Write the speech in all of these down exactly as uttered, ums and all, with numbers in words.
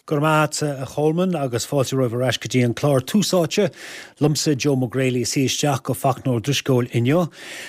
Go raibh maith a Cholmáin agus fáilte romhaibh ar ais go dtí an clár Tús Áite liomsa Joe Mac Grealaigh ag suí isteach do Fachtna Ó Drisceoil inniu.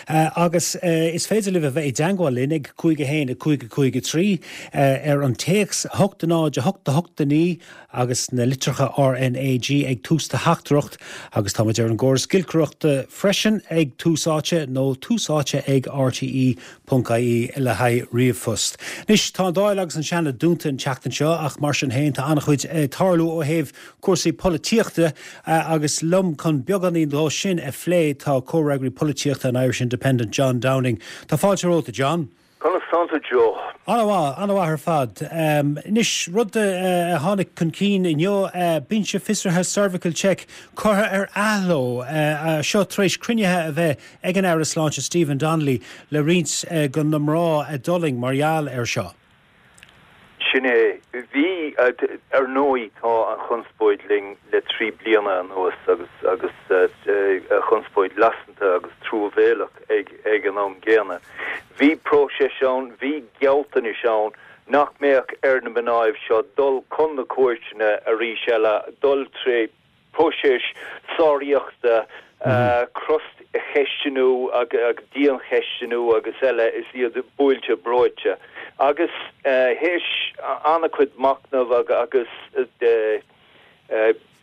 Uh, agus uh, is féidir libh a bheith i dteagmháil linn ag cúig a haon a cúig a cúig a trí uh, ar an téacs hocht náid a hocht a hocht a naoi agus na litreacha RNAG ag tús do theachtaireacht agus táimid ar an gcóras giolcaireachta freisin ag Tús Áite nó tús áite ag RTE ponc IE le haghaidh ríomhphost. Anois tá an Dáil agus an Seanad dúnta an tseachtain seo ach mar sin féin tá an-chuid ag tarlú ó thaobh cúrsaí polaitíochta agus liom chun beagáinín de sin a phlé tá comhfhreagraí polaitíochta an Irish Independent John Downing. Tá fáilte romhat John. Conas tánn tú Joe. An-mhaith an-mhaith ar fad. Um, Anois rud uh, tháinig chun cinn inniu uh, binse fiosraithe cervical check curtha ar athló uh, uh, seo tar éis cruinnithe a bheith ag an Aire Sláinte Stephen Donnelly le roinnt uh, de na mná a d'fhulaing mar gheall air seo. Sin é bhí ar ndóigh tá an chonspóid linn le trí bliana anuas agus agus chonspóid lasanta agus truamhéalach ag ag an am gcéanna. Bhí próiseas ann, bhí gealltanais ann nach mbeadh ar na mná seo dul chun na cúirteanna arís eile dul trí próiseas sáraíochta mm. croscheistiú ag diancheistiú agus eile is iad buailte breoite. Agus théis an-chuid machnamh agus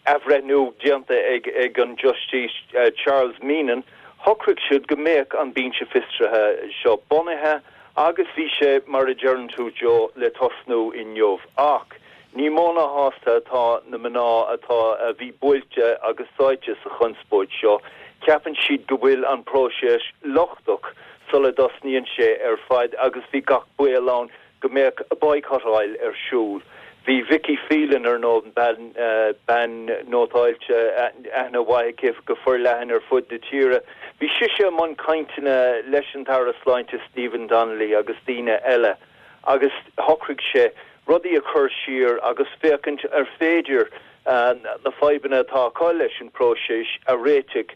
athbhreithniú déanta ag ag an Justice Charles Meenan, shocraigh siad go mbeadh an binse fiosraithe seo bunaithe agus bhí sé mar a deireann tú Joe le tosnú inniu ach ní mó ná sásta atá na mná atá a bhí buailte agus sáite sa chonspóid seo, ceapann siad go bhfuil an próiseas lochtach sula dtosnaíonn sé ar fad agus bhí gach baol ann go mbeadh boycottáil ar siúl. Bhí Vicky Phelan ar nó bean uh, bean nótáilte aithne mhaith go forleathan ar fud na tíre. Bhí sise i mbun cainteanna leis an Aire Sláinte Stephen Donnelly agus daoine eile, agus shocraigh sé rudaí a chur siar agus féachaint ar féidir uh, na fadhbanna atá acu leis an próiseas a réiteach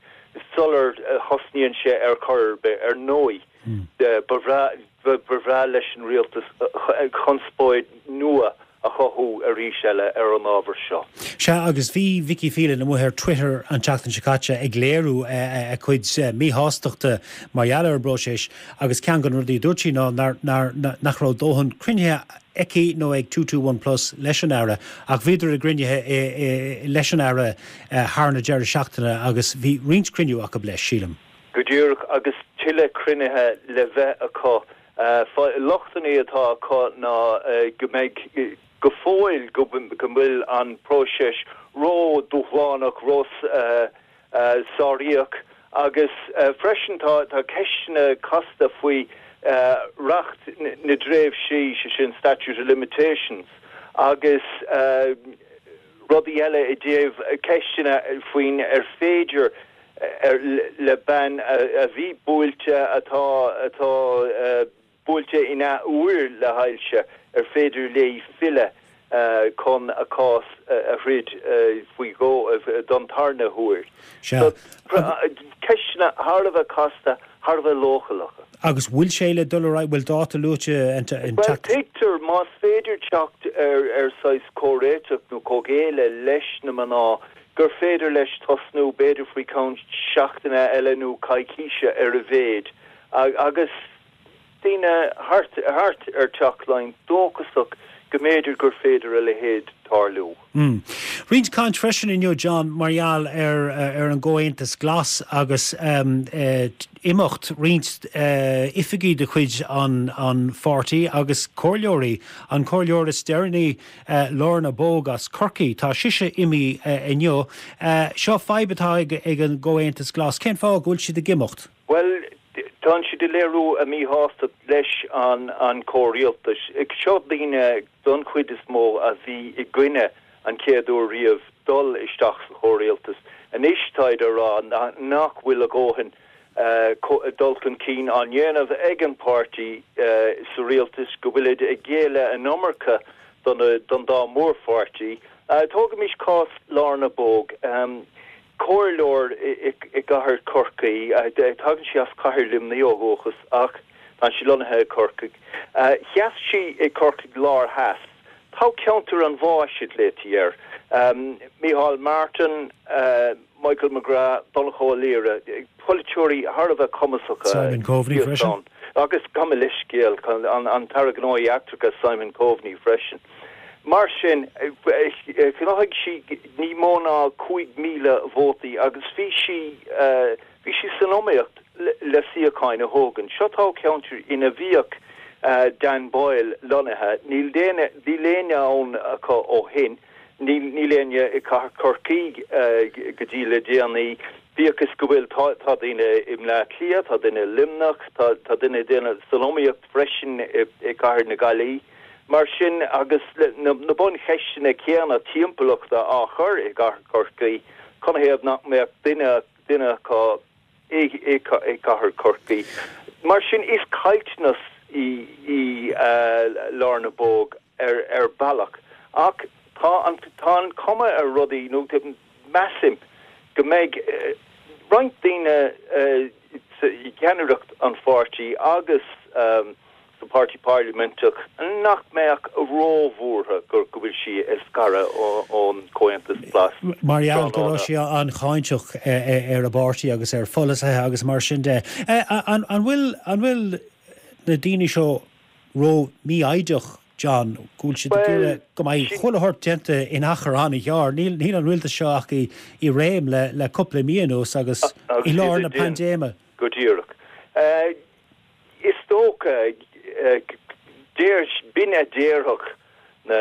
sular thosnaíonn sé ar chor ar ndóigh. Mm. Ba bhreá leis an rialtas conspóid nua a chothú arís eile ar an ábhar seo. Sea agus bhí Vicky Phelan amuigh ar Twitter an tseachtain seo caite ag léiriú a cuid míshástachta mar gheall ar an bpróiseas agus ceann de na rudaí dúirt sí ná nach raibh dóthain cruinnithe aici nó ag two two one plus leis an aire ach bhíodar i gcruinnithe leis an aire thar na deireadh seachtaine agus bhí roinnt cruinniú acu leis sílim. Go díreach agus tuilleadh cruinnithe le bheith acu. Lochtanna atá acu ná go mbeidh go fóill go bhfuil an próiseas ró-dúshlánach ró sáraíoch agus freisin tá tá ceisteanna casta faoi reacht na dtréimhsí sé sin statute of limitations agus rudaí eile i dtaobh ceisteanna faoin ar féidir ar le bean a bhí buailte atá atá buailte in athuair le hailse ar féidir léi filleadh chun a cás a throid faoi dhó don tarna huair. Ceisteanna thar a bheith casta thar a bheith leochaileach. Agus bhfuil sé le dul bhfuil dáta luaite Well tuigtear más féidir teacht ar ar saghas comhréiteach nó comhghéilleadh leis na mná gur féidir leis tosnú b'fhéidir faoi cheann seachtaine eile nó coicíse ar a mhéad agus daoine thart thart ar Teach Laighean dóchasach go mb'fhéidir gur féidir a leithéid tarlú. Mm. Roinnt caint freisin inniu John mar gheall ar ar an gComhaontas Glas agus um, uh, imeacht roinnt uh, oifigigh de chuid an, an pháirtí agus comhairleoirí an comhairleoir is deireanaí uh, Lorna Bogue as Corcaigh tá sise imithe uh, inniu. Uh, seo fadhb atá ag, ag an gComhaontas Glas cén fáth go bhfuil siad ag imeacht? Well tá siad ag léiriú a míshástacht leis an an comhrialtas. Ag seo daoine don chuid is mó a bhí i gcoinne an chéad uair riamh dul isteach sa chomhrialtas. Anois táid ag rá nach bhfuil a ndóthain uh, dul chun cinn á dhéanamh ag an páirtí uh, sa rialtas go bhfuil ag géilleadh an iomarca don, don dá mhórpháirtí. Uh, Tógaimis cás Lorna Bogue. Um, comhairleoir i gcathair Chorcaí tagann sí as cathair Luimnigh ó dhúchas ach tá sí lonnaithe i Corcaigh. Sheas sí i Corcaigh Lár Theas Toghcheantar an bháis a ghlaoití air. Micheál Martin, Michael McGrath, Donnchadh Ó Laoghaire, polaiteoirí thar a bheith cumasacha. Simon Coveney freisin. Agus gabh mo leithscéal, an tAire Gnóthaí Eachtracha Simon Coveney freisin. Mar sin, ghnóthaigh sí ní mó ná cúig míle vótaí agus bhí sí bhí sí san iomaíocht le suíocháin a thógaint. Seo toghcheantar ina bhíodh Dan Boyle lonnaithe. Níl níl éinne ann acu ó shin. Níl níl éinne i gcathair Chorcaí go dtí le déanaí, bíodh is go bhfuil tá tá daoine i mBleá Cliath, tá duine i Luimneach, tá tá duine duine san iomaíocht freisin i gcathair na Gaillimhe. Mar sin, agus na na buncheisteanna céanna timpeallachta á chur i gcathair Chorcaí, canathaobh nach mbeadh duine duine acu i i gcathair Chorcaí? Mar sin, is caillteanas í í Lár na Bóg ar ar bealach. Ach tá an tá an cuma ar rudaí, nó measaim go mbeidh roinnt daoine i gceannaireacht an pháirtí agus sa Páirtí Parlaiminteach nach mbeadh róbhuartha go bhfuil sí ag scaradh ón Chomhaontas Glas. Mar gheall go raibh sí an-cháinteach ar a bpáirtí agus ar pholasaithe agus mar sin de. An bhfuil an bhfuil na daoine seo ró-mhífhoighdeach, John, go bhfuil siad ag iarraidh go mbeidh chuile shórt déanta in achar an-ghearr? Níl níl an rialtas seo ach i i réim le le cúpla mí anuas agus i lár na paindéime. Go díreach. Is dócha, deir, b'in a déarfadh na,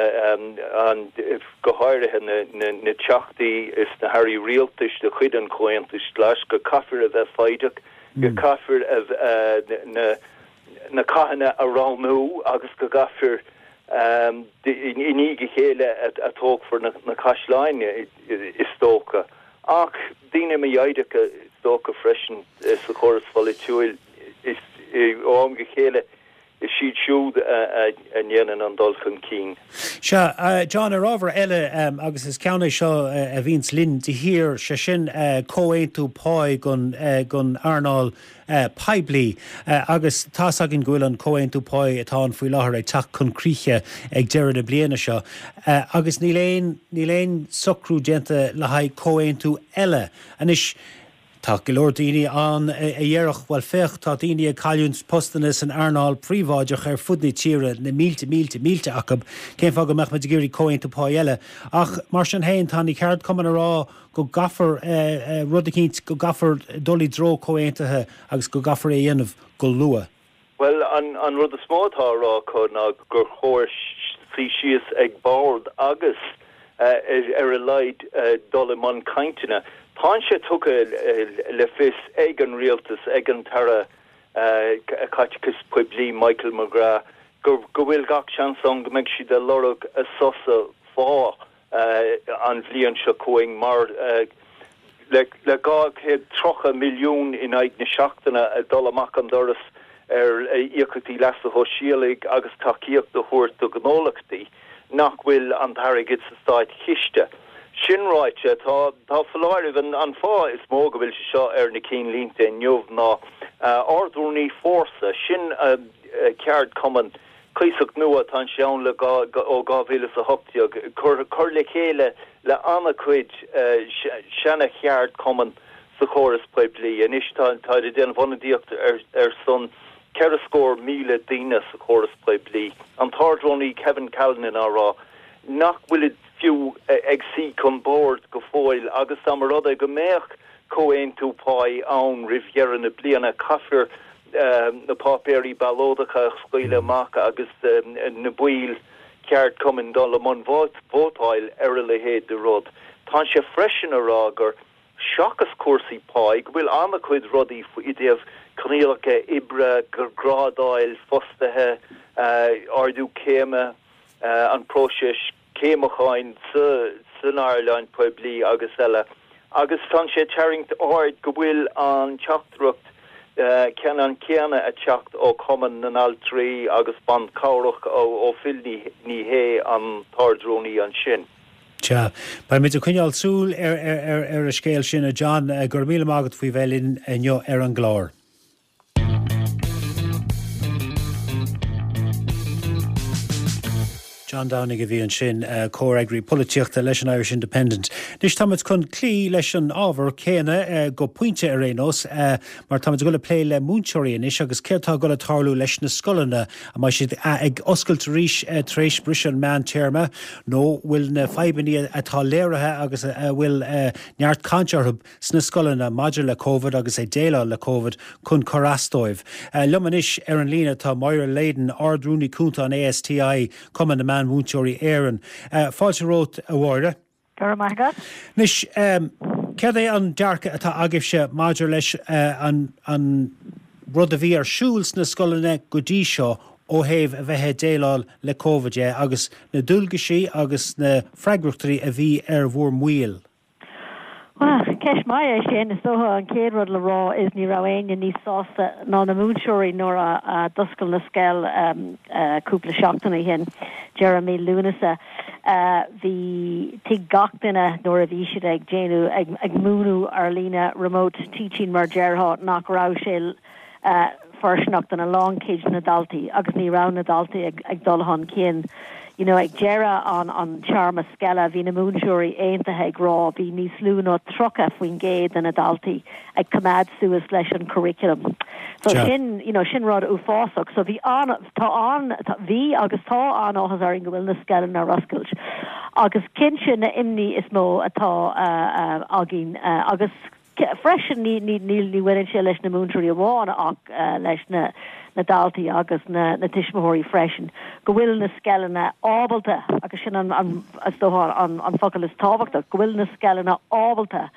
an, go háirithe na, na, na teachtaí is na hairí rialtais de chuid an Chomhaontais Ghlais, go gcaithfear a bheith foighdeach, go gcaithfear a, na, na cathanna a roghnú agus go gcaithfear i ndiaidh a chéile a tógfar na caisleáin, is dócha. Ach daoine mífhoighdeacha, is dócha freisin, sa chóras pholaitiúil, is ó am go chéile is iad siúd a ndéanann an dul chun cinn. Sea, John, ar ábhar eile, agus is ceann é seo a bhíonns linn de shíor, sé sin comhaontú páí don earnáil poiblí agus tá's againn go bhfuil an comhaontú páí atá ann faoi láthair ag teacht chun críche ag deireadh na bliana seo agus níl aon, níl aon socrú déanta le haghaidh comhaontú eile. Anois, tá go leor daoine ann a dhéarfadh, bhuel féach, tá daoine ag cailliúint postanna san earnáil phríobháideach ar fud na tíre, na mílte, mílte, mílte acu, cén fáth go mbeadh muid ag iarraidh comhaontú páí eile? Ach mar sin féin, tá na ceardchumainn ag rá go gcaithfear rud eicínt, go gcaithfear dul i dtreo comhaontaithe agus go gcaithfear é a dhéanamh go luath. Bhuel, an rud is mó atá á rá acu ná gur chóir suí síos ag bord agus ar a laghad dul i mbun cainteanna. Tá sé tugtha le fios ag an rialtas, ag an tAire Caiteachais Poiblí Michael McGrath, go bhfuil gach seans ann go mbeidh siad ag lorg sosa phá an bhliain seo chugainn mar le dhá chéad tríocha milliún in aghaidh na seachtaine ag dul amach an doras ar íocaíochtaí leasa shóisialaigh agus tacaíocht a thabhairt do ghnólachtaí nach bhfuil an t-airgead sa státchiste. Sin ráite, tá tá foláireamh, an fáth is mó go bhfuil sé seo ar na cinnlínte inniu ná Ard-Rúnaí Fórsa, sin ceardchumann cuíosach nua, tá sé ann le ó dhá mhíle is a hocht déag, cur le chéile le an-chuid seana-cheardchumann sa chóras poiblí. Anois tá táid ag déanamh ionadaíocht ar son ceithre scór míle daoine sa chóras poiblí. An tArd-Rúnaí Kevin Callinan á rá nach bhfuilid fiú ag suí chun boird go fóill agus dá mba rud é go mbeadh comhaontú páí ann roimh dheireadh na bliana, caithfear na páipéirí ballóideacha a scaoileadh amach agus na baill cheardchumainn dul i mbun vótáil ar a leithéid de rud. Tá sé freisin a rá gur seachas cúrsaí páí, go bhfuil an-chuid rudaí i dtaobh coinníollacha oibre, grádáil fostaithe, ardú céime, an próiseas céimiúcháin san earnáil poiblí agus eile, agus tá sé ag tarraingt aird go bhfuil an teachtaireacht ceannann céanna ag teacht ó Chumann na nAltraí agus Ban Cabhrach ó Phil Ní Sheaghdha, an tArd-Rúnaí ansin. Sea, beidh muid ag coinneáil súil ar ar an scéal sin, a John. Go raibh míle maith agat faoi bheith linn inniu ar an gclár. John Downing a bhí ansin comhfhreagraí polaitíochta leis an Irish Independent. Anois táimid chun cloí leis an ábhar céanna go pointe ar aon nós mar táimid ag dul a plé le múinteoirí anois agus céard atá ag dul a tarlú leis na scoileanna an mbeidh siad ag oscailt arís tar éis briseadh an meántéarma nó bhfuil na fadhbanna atá léirithe agus a bhfuil neart cainte orthu sna scoileanna maidir le Covid agus ag déileáil le Covid chun cur as dóibh. Liom anois ar an líne tá Máire Leyden Ard-Rúnaí Cúnta an ASTI Cumann na Meánmhúinteoirí Éireann. Fáilte romhat a Mháire. Go raibh maith agat. Anois céard é an dearcadh atá agaibhse maidir leis an an rud a bhí ar siúl sna scoileanna go dtí seo ó thaobh a bheith ag déileáil le Covid de agus na dualgaisí agus na freagrachtaí a bhí ar bhur mbaill. Well, ceist mhaith é sin is dócha an chéad rud le rá is ní raibh éinne níos sásta ná na múinteoirí nuair a d'oscail na scoil um, uh, cúpla seachtain ó shin deireadh mí Lúnasa. Uh, bhí thuig gach duine nuair a bhí siad ag déanamh ag, ag múineadh ar líne remote teaching mar déarfá nach raibh sé uh, fóirsteanach don a lánchuid na daltaí agus ní raibh na daltaí ag, ag dul chun cinn. You know, ag deireadh an an téarma scoile bhí na múinteoirí aontaithe ag rá bhí níos lú ná tríocha faoin gcéad de na daltaí ag coimeád suas leis an curriculum. So Ja. sin you know, sin rud uafásach, so bhí an tá an bhí agus tá an-áthas orainn go bhfuil na scoileanna ar oscailt. Agus cinnte na imní is mó atá uh, uh, againn uh, agus freisin ní ní ní ní bhaineann sé leis na múinteoirí amháin ach uh, leis na na daltaí agus na, na tuismitheoirí freisin, go bhfuil na scoileanna ábalta agus sin an, an, is dócha an, an focal is tábhachtach, go bhfuil na scoileanna ábalta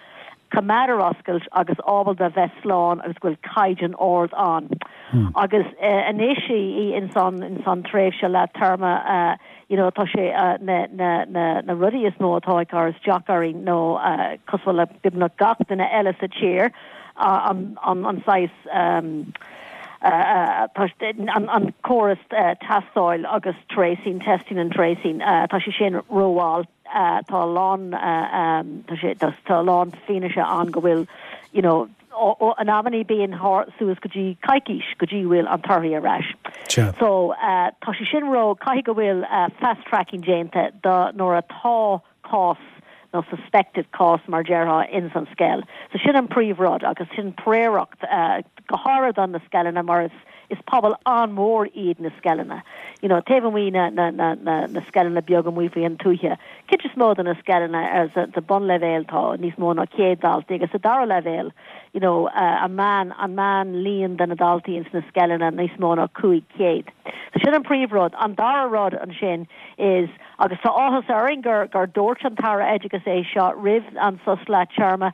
coimeád ar oscailt agus ábalta bheith slán agus go bhfuil caighdeán ard ann. Hmm. Agus uh, anois í in san in san tréimhse lár téarma uh, you know, tá sé uh, na, na, na, na rudaí is mó atá ag cur isteach orainn nó uh, cosúil le beagnach gach duine eile sa tír uh, an, an, an saghas um, uh, uh, an, an córas uh, tástáil agus tracing, testing and tracing uh, tá sé sin rómhall uh, tá lán uh, um, tá sé tá lán fianaise ann go bhfuil you know, an amannaí bíonn suas go dtí coicís go dtí bhfuil an torthaí ar ais. So uh, tá sé sin ró caithfidh go bhfuil uh, fast tracking déanta do nuair atá cás nó suspected cás mar déarfá in san scoil. So sin an príomhrud agus sin príoracht uh, go háirithe don na scoileanna mar is is pobal an-mhór iad na scoileanna. You know, taobh amuigh na, na, na, na, na scoileanna beaga amuigh faoin tuath. Cuid is mó na scoileanna ar sa bunleibhéal tá níos mó ná céad daltaí agus sa dara leibhéal. You know, uh, an meán an meánlíon de na daltaí ins na scoileanna níos mó ná cúig chéad. So sin an príomhrud an dara rud ansin is agus tá áthas orainn gur gur dúirt an tAire Oideachais é seo roimh an sos lár téarma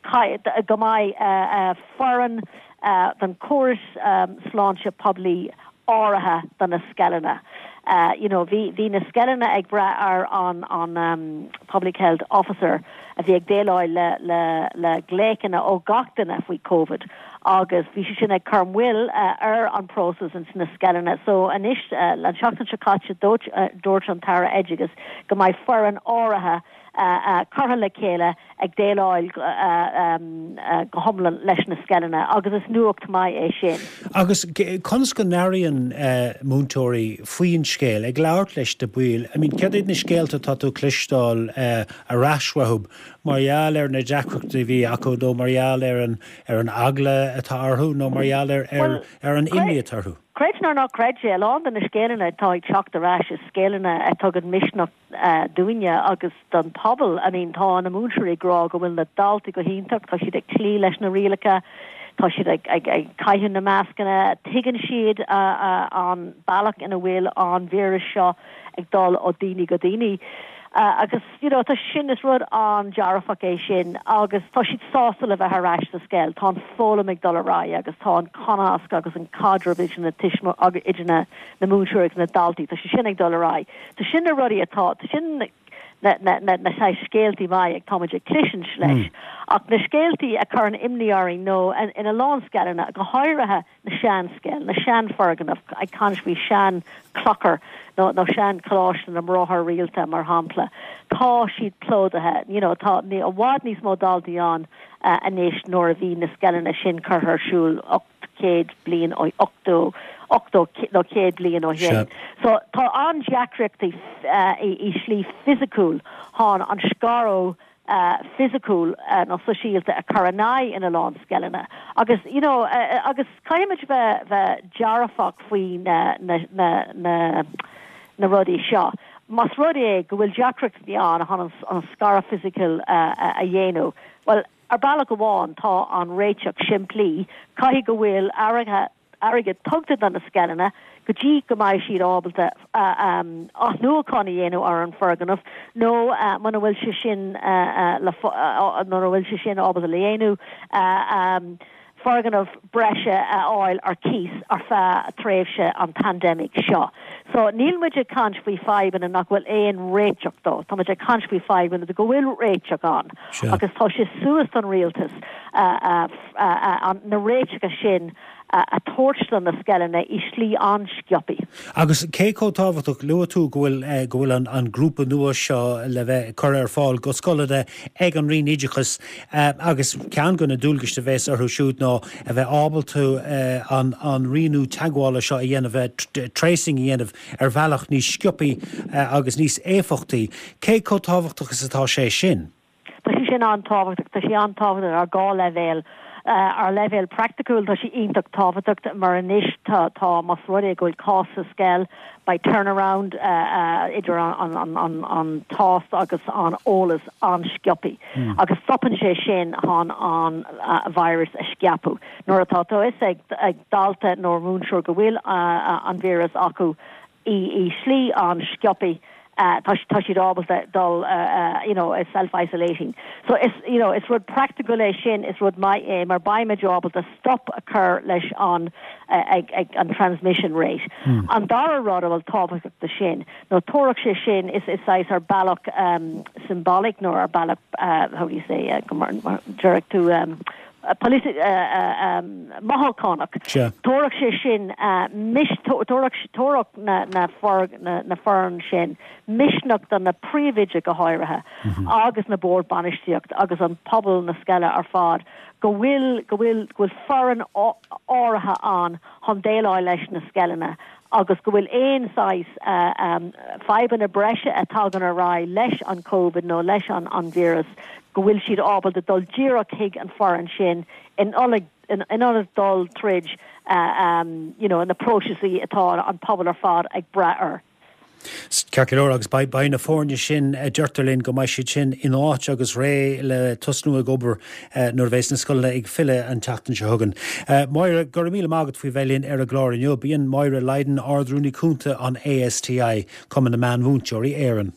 go mbeidh uh, uh, foireann uh, den córas um, sláinte poiblí áirithe do na scoileanna. Uh, you know, bhí bhí na scoileanna ag brath ar an an um, public health officer a bhí ag déileáil le le le glaochanna ó gach duine faoi COVID agus bhí sé sin ag cur moill uh, ar an process in sna scoileanna so anois uh, an seachtain seo caite dúirt uh, dúirt an tAire Oideachais go mbeidh foireann áirithe uh, uh, curtha le chéile ag déileáil uh, um, uh, go hiomlán leis na scoileanna agus is nuacht mhaith é sin. Agus conas go n-airíonn uh, múinteoirí faoin scéal ag labhairt leis na baill, I mean, cad iad na scéalta tá tú cloisteáil uh, ar ais uathu mar gheall ar na deacrachtaí a bhí acu nó mar gheall ar an ar an eagla atá orthu nó mar gheall ar ar, ar an imní atá orthu. Creid nó ná creid é lán de na scéalta atá ag teacht ar ais is scéalta a thugann misneach uh, dúinne agus don pobal I mean tá na múinteoirí ag rá go bhfuil na daltaí go hiontach tá siad ag cloí leis na rialacha tá siad ag, ag, ag caitheamh na mascanna tuigeann siad uh, uh, an bealach ina bhfuil an víreas seo ag dul ó daoine go daoine. Uh, agus you know, tá sin is rud an-dearfach é sin agus tá siad sásta le bheith ar ais sa scoil tá an foghlaim ag dul ar aghaidh agus tá an cumasc agus an caidreamh idir na tuismi agus idir na na múinteoirí agus na daltaí tá sé sin ag dul ar aghaidh. Tá sin na rudaí atá tá sin na na na na sé scéaltaí maithe ag táimid ag cloisint leis. Mm. Ach na scéaltaí a chuireann imní orainn nó in a lán scoileanna go háirithe na seanscoil, na seanfhoirgnimh ag caint faoi seanchlochar nó nó seancholáiste na mBráithre Rialta mar shampla. Tá siad plódaithe, you know, tá ní i bhfad níos mó daltaí ann uh, anois nuair a bhí na scoileanna sin curtha ar siúl ocht céad bliain ó ochtó ochtó nó céad bliain ó shin. So tá an-deacrachtaí i slí fisiciúil chun an scaradh fisiciúil nó sóisialta a chur in aghaidh ina lán scoileanna. Agus you know agus caithfimid bheith bheith dearfach faoi na na na na na rudaí seo. Más rud é go bhfuil deacrachtaí ann chun an scaradh fisiciúil a dhéanamh, well ar bealach amháin tá an réiteach simplí, caithfidh go bhfuil airgead airgead tugtha do na scoileanna go dtí go mbeidh siad ábalta athnuachan a dhéanamh ar an foirgneamh nó muna bhfuil sé sin le muna bhfuil sé sin ábalta le dhéanamh foirgneamh breise a fháil ar cíos ar feadh tréimhse an pandemic seo. So níl muid ag caint faoi fadhbanna nach bhfuil aon réiteach dó, Tá muid ag caint faoi fadhbanna go bhfuil réiteach ann agus tá sé suas don rialtas na réiteacha sin a thabhairt do na scoileanna i slí an-sciobtha. Agus cé chomh tábhachtach luaigh tú go bhfuil go bhfuil an, an grúpa nua seo le bheith curtha ar fáil go scoileanna ag an Roinn Oideachais agus ceann de na dualgais a bheas orthu siúd ná a bheith ábalta an, an rianú teagmhála seo a dhéanamh, tracing a dhéanamh ar bhealach níos sciobtha agus níos éifeachtaí. Cé chomh tábhachtach is atá sé sin? Tá sé sin an-tábhachtach, tá sé an-tábhachtach ar dhá leibhéal. Ar leibhéal praiticiúil tá sé iontach tábhachtach mar anois tá tá más rud é go bhfuil cás sa scoil beidh turnaround idir an an an an tástáil agus an eolas an-sciobtha agus stopann sé sin chun an virus a scaipeadh. Nuair atá a fhios ag ag dalta nó múinteoir go bhfuil an víreas acu i i slí an-sciobtha tá tá siad ábalta dul you know self-isolating. So is you know is rud practical é sin is rud maith é mar beimid ábalta stop a chur leis an ag ag an transmission rate. Mm. An dara rud a bhfuil tábhachtach de sin nó tabharfaidh sé sin is is saghas ar bealach um, symbolic nó ar bealach uh, how do you say uh, deir tú um, mothúchánach. Tabharfaidh sé sin tabharfaidh na na na foireann sin misneach do na príomhoidí go háirithe agus na boird bainistíocht agus an pobal na scoile ar fad go bhfuil go bhfuil go bhfuil foireann áirithe ann chun déileáil leis na scoileanna agus go bhfuil aon saghas fadhbanna breise a tagann ar aghaidh leis an Covid nó leis an an víreas go bhfuil siad ábalta dul díreach chuig an foireann sin in in ionad dul tríd um, you know, na próisis atá an pobal ar fad ag brath air. Ceart go leor agus beidh na foirne sin deirtear linn go mbeidh siad sin in áit agus réidh le tosnú ag obair nuair a bheas na scoileanna ag filleadh an tseachtain seo chugainn. Máire, go raibh míle maith agat faoi bheith linn ar an gclár inniu. B'in Máire Lydon, Ard-Rúnaí Cúnta an ASTI, Cumann na Meánmhúinteoirí Éireann.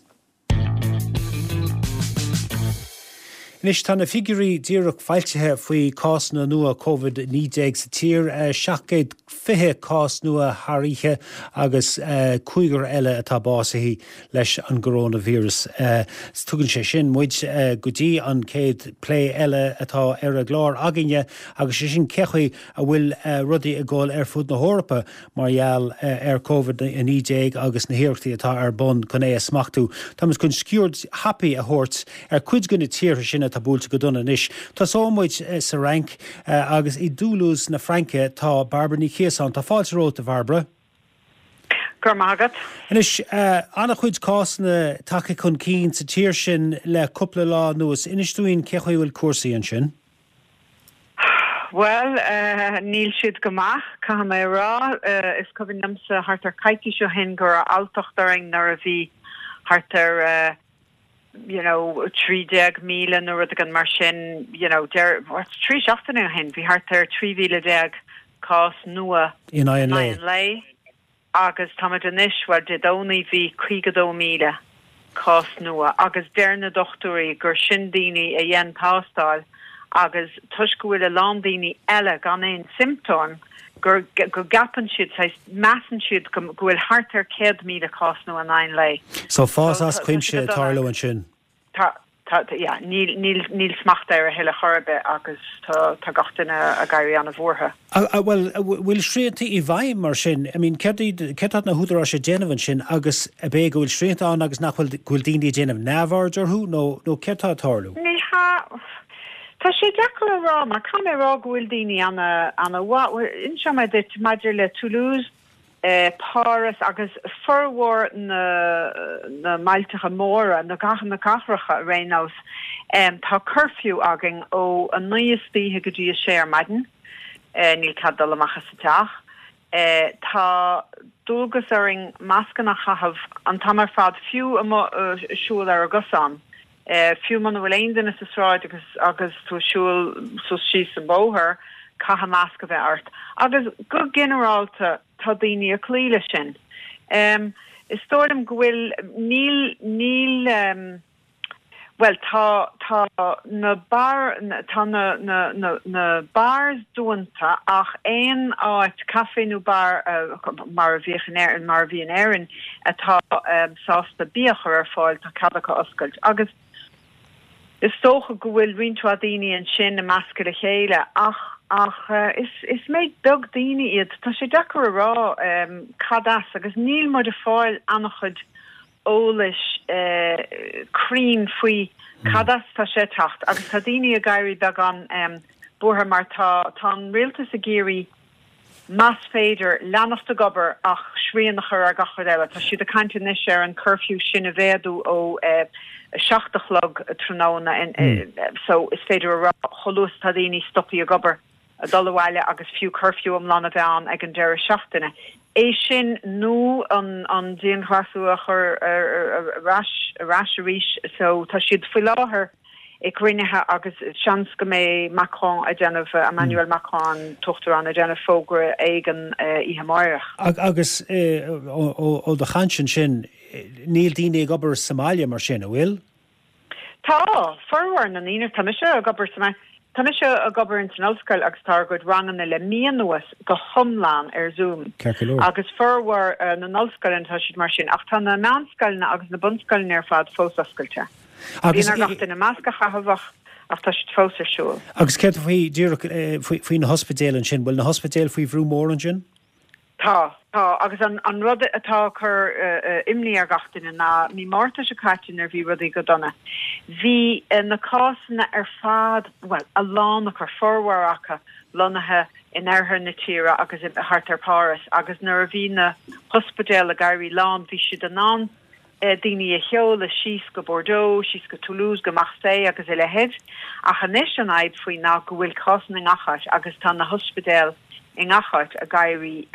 Anois tá na figiúirí díreach foilsithe faoi cásanna nua Covid naoi déag sa tír, seacht gcéad fiche cás nua thar oíche agus cúigear eile atá básaithe leis an gcoróinvíreas. Tugann sé sin muid go dtí an chéad plé eile atá ar an gclár againne agus sé sin cé chaoi a bhfuil rudaí ag dul ar fud na hEorpa mar gheall ar Covid a naoi déag agus na hiarrachtaí atá ar bun chun é a smachtú. Táimid chun sciuird thapaidh a thabhairt ar cuid de na tíortha sin atá buailte go dona anois. Tosóidh muid sa Fhrainc agus i dToulouse na Fraince tá Bairbre Ní Chiosáin. Tá fáilte romhat, a Bhairbre. Go raibh maith agat. Anois, an-chuid cásanna tagtha chun cinn sa tír sin le cúpla lá anuas. Inis dúinn cé chaoi a bhfuil cúrsaí ansin. Bhuel, níl siad go maith, caithfidh mé a rá. Is cuimhin liomsa thart ar coicís ó shin go raibh alltacht orainn nuair a bhí thart ar you know, trí déag míle nó rud éigin mar sin, you know, deir, what, trí seachtaine ó shin, bhí thart ar trí mhíle déag cás nua In aghaidh an lae. an lae agus táimid anois, bhuel, Dé Domhnaigh bhí caoga dó míle cás nua agus deir na dochtúirí gur sin daoine a dhein tástáil agus toisc go bhfuil a lán daoine eile gan aon siomptóim gur go gceapann siad, saghas, measann siad go go bhfuil thart ar céad míle cás nua in aghaidh an lae. So fás So as tá tá sé cuimse go ag dona. tarlú ansin. Tá tá yeah, níl níl níl smacht air a thuilleadh chor ar bith agus tá tá gach duine ag éirí an-bhuartha. Bhuel, bhfuil srianta i bhfeidhm mar sin? I mean, céard iad, céard tá na húdaráis ag déanamh ansin agus ab é go bhfuil srianta ann agus nach bhfuil, go bhfuil daoine ag déanamh neamhaird orthu nó, nó céard tá ag tarlú? Ní hea, tá sé deacair a rá mar caithfidh mé a rá go bhfuil daoine ana, ana mhaith, bhuel, inseoidh mé duit maidir le Toulouse, Páras agus formhór na na mbailteacha móra, na na cathracha ar aon nós, tá curfew againn ó a naoi istoíche go dtí a sé ar maidin, níl cead dul amach as an teach. Tá dualgas orainn mascanna a chaitheamh an t-am ar fad, fiú amuigh ag siúl ar an gcosán. Fiú muna bhfuil aon duine sa sráid agus agus tú ag siúl suas síos an bóthar, caithfidh masc a bheith ort. Agus go ginearálta tá daoine ag cloí leis sin. Is dóigh liom go bhfuil, níl, níl, bhuel tá, tá na bar, tá na, na, na, na bars dúnta ach aon áit, café nó bar mar a bhíodh in Éirinn, mar a bhí in Éirinn atá sásta bia a chur ar fáil, tá cead acu oscailt. Agus is dócha go bhfuil roinnt mhaith daoine ansin i measctha le chéile ach ach is is méid beag daoine iad. Tá sé deacair a rá cad as agus níl muid ag fáil an-chuid eolais cruinn faoi cad as tá sé ag teacht agus tá daoine ag éirí beagán buartha mar tá tá an rialtas ag iarraidh más féidir leanacht ag obair ach srian a chur ar gach rud eile. Tá siad ag caint anois ar an curfew sin a mhéadú ó a seacht a chlog tráthnóna so is féidir a rá chomh luath is atá daoine stoptha ag obair a dul abhaile agus fiú curfew iomlán a bheith ann ag an deireadh seachtaine. É sin nó an an dianghlasáil a chur ar ais ar ais arís so tá siad faoi láthair ag cruinniú agus seans go mbeidh Macron ag déanamh, Emmanuel Macron, an tUachtarán, ag déanamh fógra éigin oíche amárach. Agus ó do chaint ansin, níl daoine ag obair sa mbaile mar sin, an bhfuil? Tá, formhór na ndaoine, tá mise ag obair sa mbaile, tá mise ag obair ins an ollscoil agus tá ár gcuid ranganna le mí anuas go hiomlán ar Zoom. Ceart go leor. Agus formhór na n-ollscoileanna tá siad mar sin, ach tá na meánscoileanna agus na bunscoileanna ar fad fós oscailte. Agus Bíonn ar gach duine masc a chaitheamh ach ach tá siad fós ar siúl. Agus céard faoi, díreach faoi na hospidéil ansin, bhfuil na hospidéil faoi bhrú mór ansin? Tá, tá, agus an an rud atá ag cur imní ar gach duine ná mí Márta seo caite nuair bhí rudaí go dona, bhí na cásanna ar fad, bhuel, a lán acu, formhór acu, lonnaithe in oirthear na tíre agus thart ar Páras agus nuair a bhí na hospidéil ag éirí lán bhí siad in ann daoine a sheoladh síos go Bordeaux, síos go Toulouse, go Marseille agus a leithéid. Ach anois an fhadhb faoi ná go bhfuil cásanna i ngach áit agus tá na hospidéil i ngach áit ag éirí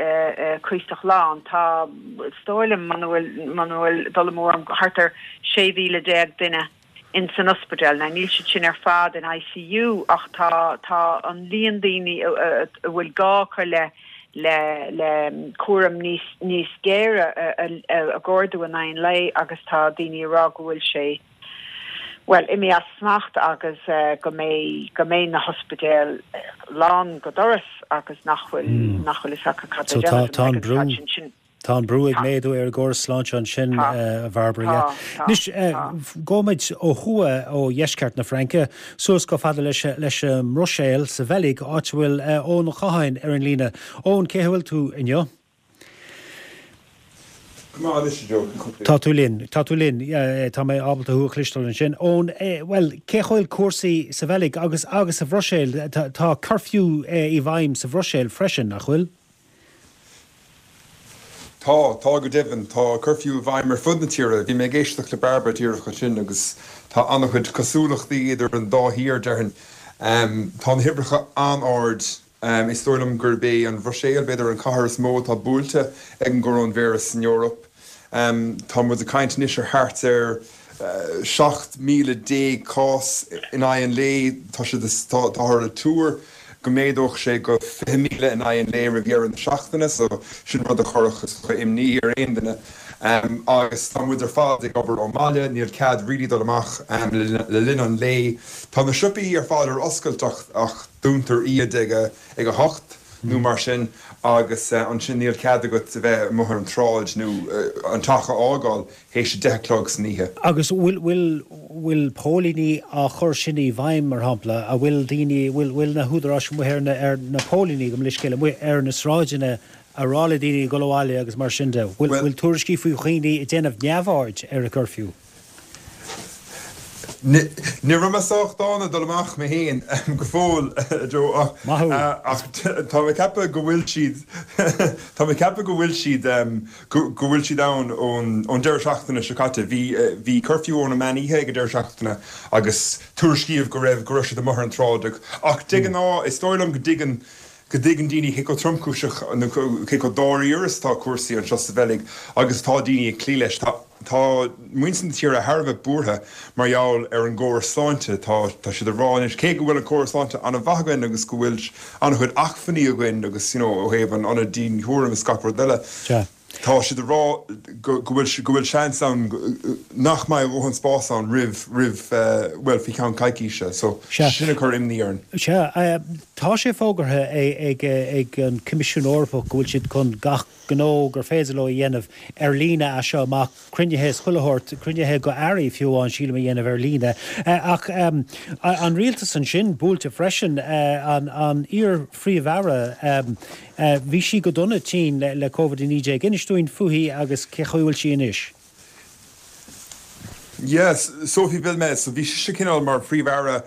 cuíosach lán. Tá, is dóigh liom, muna bhfuil, muna bhfuil dul amú orm, thart ar sé mhíle déag duine in san ospidéal. Now níl siad sin ar fad in I C U ach tá, tá an líon daoine a bhfuil gá acu le le le cúram níos níos géire ag ardú in aghaidh an lae agus tá daoine ag rá go bhfuil sé bhuel imithe as smacht agus go mbeidh go mbeidh na hospidéil lán go doras agus nach bhfuil nach bhfuil fhios acu cad a So tá déanamh tá an ag an brú staid sin sin. Tá an brú ag Tá. méadú ar an gcóras sláinte ansin, Tá. a Bhairbre. Tá, tá, Anois, tá. gabhfaimid ó thuaidh ó dheisceart na Fraince suas chomh fada leis leis an mBruiséil sa Bheilg, áit a bhfuil Eoin Ó Catháin ar an líne. Eoin, cén chaoi a bhfuil tú inniu? Go maith anois, a Joe, cén chaoi? Tá tú linn, tá tú linn, tá mé ábalta thú a chloisteáil ansin. Eoin, bhuel, cén chaoi a bhfuil cúrsaí sa Bheilg agus agus sa Bhruiséil? Tá tá curfew i bhfeidhm sa Bhruiséil freisin, nach bhfuil? Tá, tá go deimhin, tá curfew i bhfeidhm ar fud na tíre. Bhí mé ag éisteacht le Bairbre díreach ansin agus tá an-chuid cosúlachtaí idir an dá thír déarfainn. Um, tá na huimhreacha an-ard. Um, is dóigh liom gurb é an Bhruiséil b'fhéidir an chathair is mó atá buailte ag an gcoróinvíreas san Eoraip. Um, tá muid ag caint anois ar thart ar uh, seacht míle déag cás in aghaidh an lae, tá sé táthar ag tuar go méadódh sé go fiche míle in aghaidh an lae roimh dheireadh na seachtaine, so sin rud a chuirfeadh imní ar aon duine. Um, agus tá muid ar fad ag obair ón mbaile, níl cead really dul amach um, le, le linn an lae. Tá na siopaí ar fad ar oscailt ach, ach dúntar iad ag a, ag a hocht nó mar sin agus uh, ansin níl cead agat a bheith amuigh ar an tsráid nó uh, an teach a fhágáil théis a deich a chlog san oíche. Agus bhfuil bhfuil bhfuil póilíní á chur sin i bhfeidhm mar shampla, a bhfuil daoine bhfuil bhfuil na húdaráis amuigh ar na ar na póilíní go mleiscéile amuigh ar na sráideanna ag rá le daoine dul abhaile agus mar sin de. Bhfuil Well- bhfuil tuairiscí faoi dhaoine ag déanamh neamhaird ar an curfew? Ní raibh mé sách dána dul amach mé féin go fóill, Joe, ach tá mé ag ceapadh go bhfuil siad, tá mé ag ceapadh go bhfuil siad, go bhfuil siad ann ón deireadh seachtaine seo caite. Bhí, bhí curfew ón meán oíche ag an deireadh seachtaine agus tuairiscíodh go raibh, go raibh siad amuigh ar an tsráid. Ach de ghnáth, is dóigh liom go dtuigeann, go dtuigeann daoine cé chomh tromchúiseach nó cé chomh dáiríre is atá cúrsaí anseo sa Bheilg agus tá daoine ag cloí leis. Tá tá muintir na tíre thar a bheith buartha mar gheall ar an gcóras sláinte. Tá tá siad ag rá anois, cé go bhfuil an córas sláinte an-mhaith againn agus go bhfuil an-chuid acmhainní againn agus you know ó thaobh an ionad dianchúraim is gach rud eile, Tá siad ag rá go bhfuil go bhfuil seans ann nach mbeidh a dhóthain spás ann roimh roimh bhuel faoi cheann coicíse so sin ag cur imní orainn. Sea, tá sé fógartha ag ag an Coimisiún Eorpach go bhfuil siad chun gach gnó gur féidir leo a dhéanamh ar líne as seo amach, cruinnithe is chuile shórt, cruinnithe do airí fiú amháin sílim a dhéanamh ar líne. Ach an rialtas ansin buailte freisin, an an iar-phríomh-aire, Bhí sí go dona tinn le Covid a naoi déag. Inis dúinn fúithi agus cé chaoi bhfuil sí anois. Yes, Sophie Wilmès, so bhí sise cineál mar Phríomh-Aire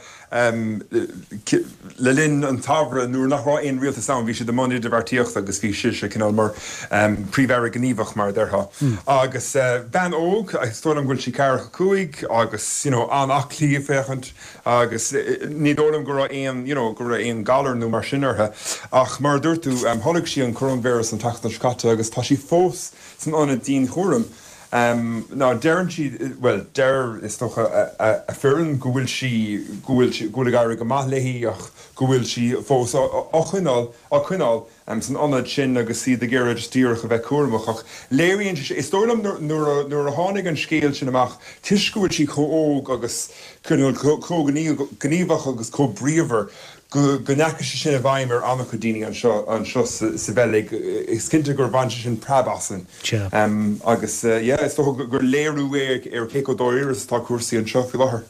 le linn an tsamhraidh nuair nach raibh aon rialtas ann, bhí siad i mbun idirbheartaíochta agus bhí sise cineál mar Phríomh-Aire gníomhach mar a déarfá. Agus bean óg, is dóigh liom go bhfuil sí ceathracha cúig agus you know an-aclaí ag féachaint agus ní dóigh liom go raibh aon, you know, go raibh aon galar nó mar sin uirthi. Ach mar a dúirt tú, tholg sí an coróinvíreas an tseachtain seo caite agus tá sí fós san ionad dianchúraim. Now deireann siad, bhuel, deir, is dócha, a foireann go bhfuil sí, go bhfuil sí, go bhfuil ag éirí go maith léi ach go bhfuil sí fós á coinneáil, á coinneáil san ionad sin agus iad ag iarraidh just díreach a bheith cúramach. Ach léiríonn sé, is dóigh liom nuair a, nuair a tháinig an scéal sin amach, toisc go bhfuil sí chomh óg agus chomh gníomhach agus chomh bríomhar, go ndeachaigh sé sin i bhfeidhm ar an-chuid daoine anseo anseo sa Bheilg. Is cinnte gur bhain sé sin preab asainn. Agus yeah, is dócha gur léiriú é ar cé chomh dáiríre is atá cúrsaí anseo faoi láthair.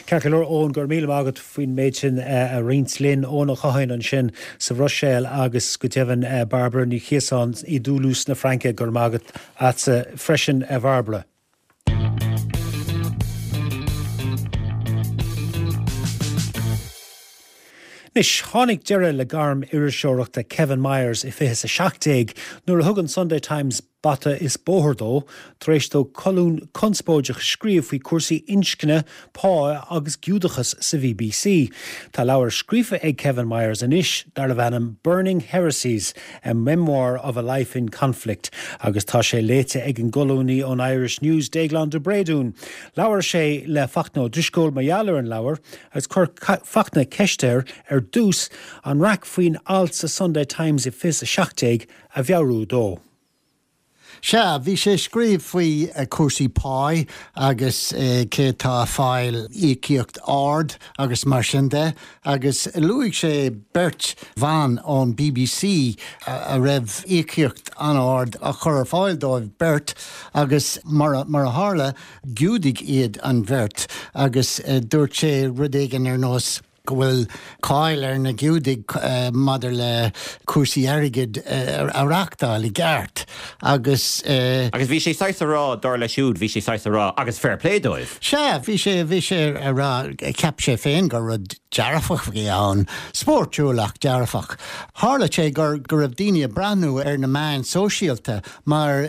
Ceart go leor, Eoin, go raibh míle maith agat faoin méid sin a roinnt linn. Eoin Ó Catháin ansin sa Bhruiséil agus go deimhin Bairbre Ní Chiosáin i dToulouse na Fraince. Go raibh maith agat agatsa freisin, a Bhairbre. Anois, tháinig deireadh le gairm iriseoireachta Kevin Myers i fiche is a seacht déag nuair a thug an Sunday Times bata is bóthar dó tar éis dó colún conspóideach a scríobh faoi chúrsaí inscne, pá agus Giúdachas sa B B C. Tá leabhar scríofa ag Kevin Myers anois darbh ainm Burning Heresies, A Memoir of a Life in Conflict agus tá sé léite ag an gcolúnaí ón Irish News, Déaglán de Bréadún. Labhair sé le Fachtna Ó Drisceoil mar gheall ar an leabhar agus chuir Fachtna ceist air ar dtús an raic faoin alt sa Sunday Times i fiche a seacht déag a mheabhrú dó. Sea, bhí sé ag scríobh faoi cúrsaí páí agus cé atá ag fáil íocaíocht ard agus mar sin de agus luaigh sé beirt bhan ón B B C a raibh íocaíocht an-ard á chur ar fáil dóibh beirt agus mar a, mar a tharla, Giúdaigh iad an bheirt agus dúirt sé rud éigin ar nós go bhfuil cáil ar na Giúdaigh maidir le cúrsaí airgid a reachtáil i gceart agus. Agus bhí sé saghas a rá, dar leis siúd, bhí sé saghas a rá, agus fair play dóibh. Sea, bhí sé, bhí sé a rá, cheap sé féin gur rud dearfach a bhí ann, spórtúil ach dearfach. Tharla sé gur go raibh daoine ag breathnú ar na meáin sóisialta mar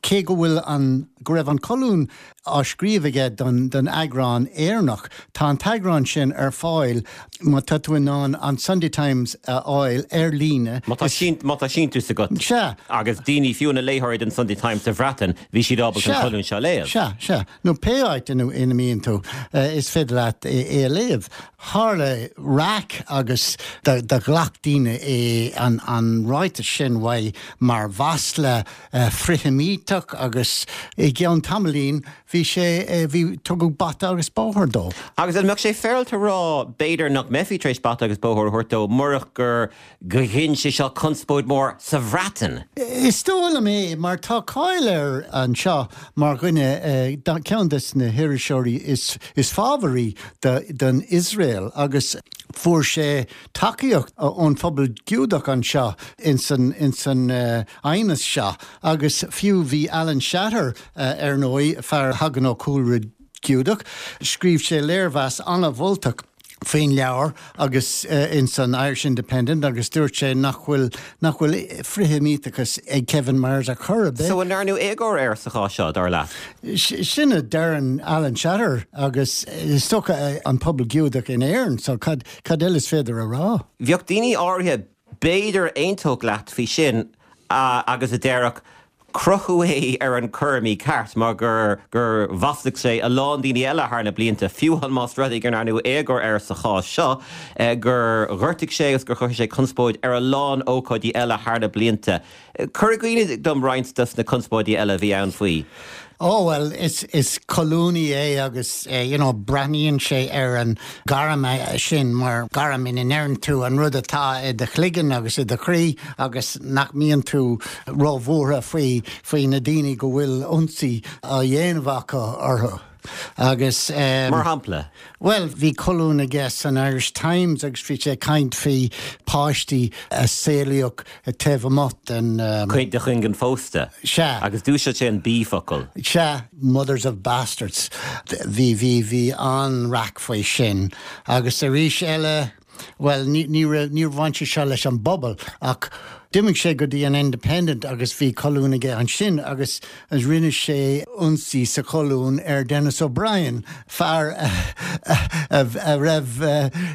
cé go bhfuil an, go raibh an colún á scríobh aige don don eagrán Éireannach, tá an t-eagrán sin ar fáil má tá tú in ann an Sunday Times a fháil ar líne. Má tá sín, má tá síntiús agat. Sea. Agus daoine, fiú na léitheoirí den Sunday Times sa Bhreatain, bhí siad ábalta an colún seo a léamh. Sea, sea. Nó pé áit ina ina mbíonn tú, is féidir leat é a léamh. Tharla raic agus do do ghlac daoine é an an ráiteas sin uaidh mar mhasla frith-Sheimíteach agus i gceann tamaillín bhí sé, bhí, tugadh bata agus bóthar dó. Agus an mbeadh sé féaráilte a rá b'fhéidir nach mbeifí tar éis bata agus bóthar a thabhairt dó murach gur ghin sé seo conspóid mhór sa Bhreatain? Is dóigh liom é, mar tá cáil air anseo mar dhuine, ceann de na hiriseoirí is is fábharaí don Iosrael agus fuair sé tacaíocht ón phobal Giúdach anseo ins an ins an aighneas seo agus fiú bhí Alan Shatter ar ndóigh, fear a thagann ó chúlra Giúdach. Scríobh sé léirmheas an-mholtach faoin leabhar agus in san Irish Independent agus dúirt sé nach bhfuil nach bhfuil frithsheimíteachas ag Kevin Myers ar chor ar bith. So an ndearnadh éagóir air sa chás seo, dar leat? Sin a deireann Alan Shatter agus is dócha an pobal Giúdach in Éirinn, so cad cad eile is féidir a rá? Bheadh daoine áirithe b'fhéidir a aontódh leat faoi sin agus a déarfadh, Crochadh é ar an cur mícheart mar gur gur mhaslaigh sé a lán daoine eile thar na blianta, fiú amháin más rud é go ndearnadh éagóir air sa chás seo, gur ghortaigh sé agus gur chruthaigh sé conspóid ar a lán ócáidí eile thar na blianta. Cuir i gcuimhne dom roinnt dos na conspóidí eile a bhí ann faoi. Ó, bhuel, is, is colúnaí é agus, you know, breathnaíonn sé ar an gairm sin mar gairm ina ndeireann tú an rud atá i do chloigeann agus i do chroí agus nach mbíonn tú róbhuartha faoi, faoi na daoine go bhfuil ionsaí á dhéanamh acu orthu. Agus. Mar shampla? Bhuel, bhí colún aige san Irish Times agus bhí sé ag caint faoi páistí a saolaíodh taobh amuigh den. De chuinginn phósta. Sea. Agus d'úsáid sé an B-fhocal. Sea, mothers of bastards. Bhí, bhí, bhí an-raic faoi sin. Agus arís eile, bhuel, ní, ní raibh, níor bhain sé seo leis an bpobal ach D'imigh sé go dtí an Independent agus bhí colún aige ansin agus rinne sé ionsaí sa cholún ar Denis O'Brien, fear a raibh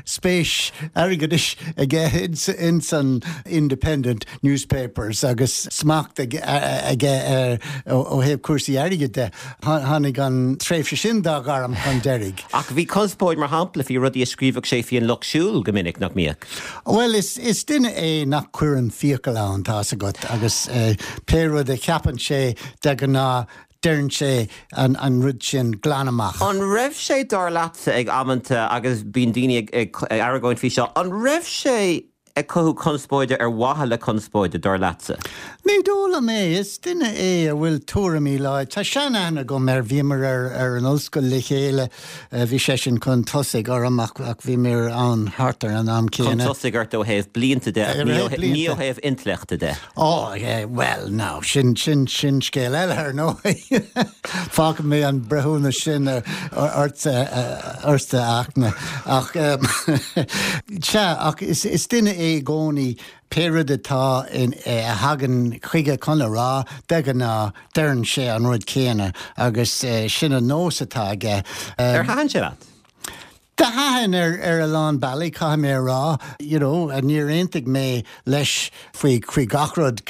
spéis airgeadais aige ins an Independent newspapers agus smacht aige air ó thaobh cúrsaí airgid de. Tháinig an tréimhse sin dá ghairm chun deiridh. Ach bhí conspóid, mar shampla, faoi rudaí a scríobhadh sé faoi an Lucht Siúil go minic, nach mbíodh? Bhuel, is duine é nach gcuireann fiacail ann, tá's agat, agus pé rud a cheapann sé de ghnáth deireann sé an rud sin glan amach. An raibh sé, dar leatsa, ag amanta, agus bíonn daoine ag argóint faoi seo, an raibh sé ag cothú conspóide ar mhaithe le conspóide, dar leatsa? Ní dóigh liom é. Is duine é a bhfuil tuairimí láidre. Tá sean-aithne agam air, bhíomar ar an ollscoil le chéile, bhí seisean chun tosaigh orm ach bhíomar ann thart ar an am céanna. Chun tosaigh ort ó thaobh blianta de ach ní ó thaobh intleachta de. Ó, bhuel, now, sin, sin, sin scéal eile, ar ndóigh. Fágfaidh mé an breithiúnas sin ortsa, a Fhachtna. Ach, sea, ach is duine é i gcónaí pé rud atá in, a thagann chuige chun a rá, de ghnáth, deireann sé an rud céanna agus sin an nós atá aige. Ar thaitin sé leat? Do thaitin ar ar a lán bealaí, caithfidh mé a rá. You know, níor aontaigh mé leis faoi faoi gach rud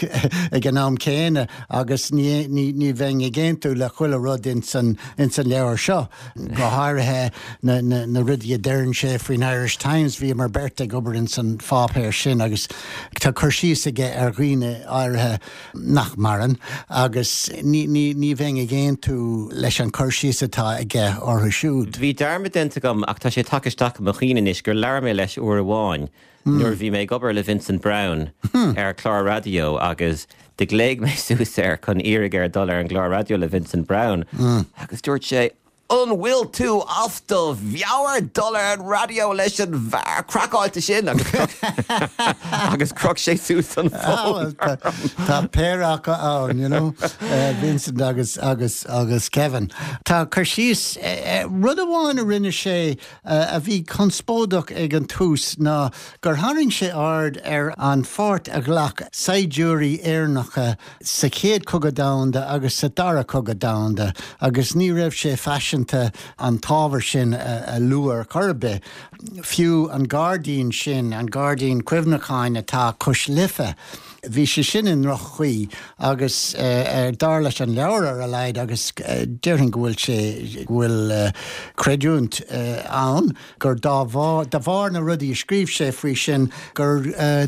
ag an am céanna agus ní ní ní bheinn ag aontú le chuile rud ins an ins an leabhar seo, go háirithe na na na rudaí a deireann sé faoin Irish Times. Bhíomar beirt ag obair ins an pháipéar sin agus tá cur síos aige ar dhaoine áirithe nach maireann agus ní ní ní bheinn ag aontú leis an cur síos atá aige orthu siúd. Bhí dearmad déanta agam ach tá sé tagtha isteach i mo chuimhne anois gur labhair mé leis uair amháin nuair a bhí mé ag obair le Vincent Browne ar chlár raidió agus do ghlaoigh mé suas air chun iarraidh air dul ar an gclár raidió le Vincent Browne agus dúirt sé An bhfuil tú as do mheabhair dul ar an raidió leis an bhfear craiceáilte sin? Agus chroch sé suas an fón orm. Tá péire acu ann, you know, Vincent agus agus agus Kevin. Tá cur síos, rud amháin a rinne sé a bhí conspóideach ag an tús ná gur tharraing sé aird ar an pháirt a ghlac saighdiúirí Éireannacha sa Chéad Chogadh Domhanda agus sa Dara Cogadh Domhanda agus ní raibh sé faiseanta an t-ábhar sin a lua ar chor ar bith. Fiú an gairdín sin, an gairdín cuimhneacháin atá cois Life, bhí sé sin i ndroch-chaoi agus dar leis an leabhar ar a laghad agus déarfainn go bhfuil sé, go bhfuil creidiúint ann gur dá bharr, de bharr na rudaí a scríobh sé faoi sin gur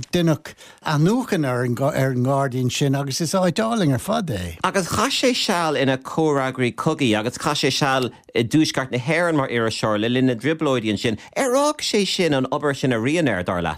deineadh athnuachan ar an ngairdín sin agus is áit álainn ar fad é. Agus chaith sé seal ina chomhfhreagraí cogaidh agus chaith sé seal i dTuaisceart na hÉireann mar iriseoir le linn na dTrioblóidí ansin. Ar fhág sé sin, an obair sin, a rian air, dar leat?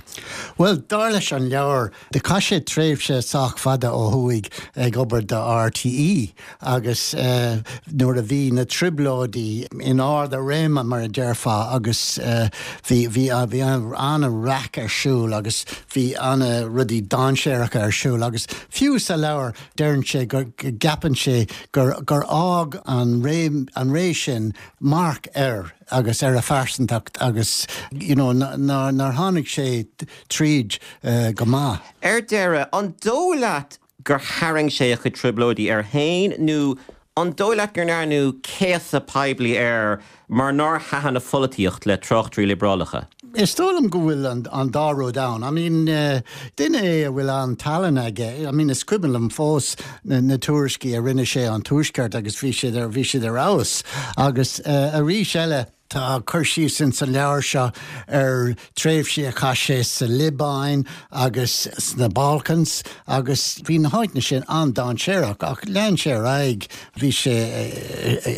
Bhuel, dar leis an leabhar, do chaith sé tréimhse tréimhse sách fada ó thuaidh ag obair do RTÉ agus uh, nuair a bhí na trioblóidí in ard a réime mar a déarfá agus uh, bhí bhí bhí an-raic ar siúl agus bhí an-rudaí dainséaracha ar siúl agus fiú sa leabhar deireann sé gur gceapann sé gur gur fhág an ré an ré sin marc air agus ar a phearsantacht agus you know, nár tháinig sé tríd uh, go maith. Ar deireadh an dóigh leat gur tharraing sé a chuid trioblóidí air féin nó an dóigh leat gur ndearnadh céasadh poiblí air mar nár thaitin a pholaitíocht le tráchtairí liobrálacha. Is dóigh liom go bhfuil an, an dá rud ann. I mean, uh, duine é a bhfuil an-tallann aige. I mean, is cuimhin liom fós na, na tuairiscí a rinne sé an tuaisceart agus bhí siad ar bhí siad ar fheabhas. Agus uh, arís eile Tá cur síos in sa leabhar seo ar tréimhsí a chaith sé sa Liobáin agus sna Balkans agus bhí na háiteanna sin an-dainséarach ach lean sé ar aghaidh bhí sé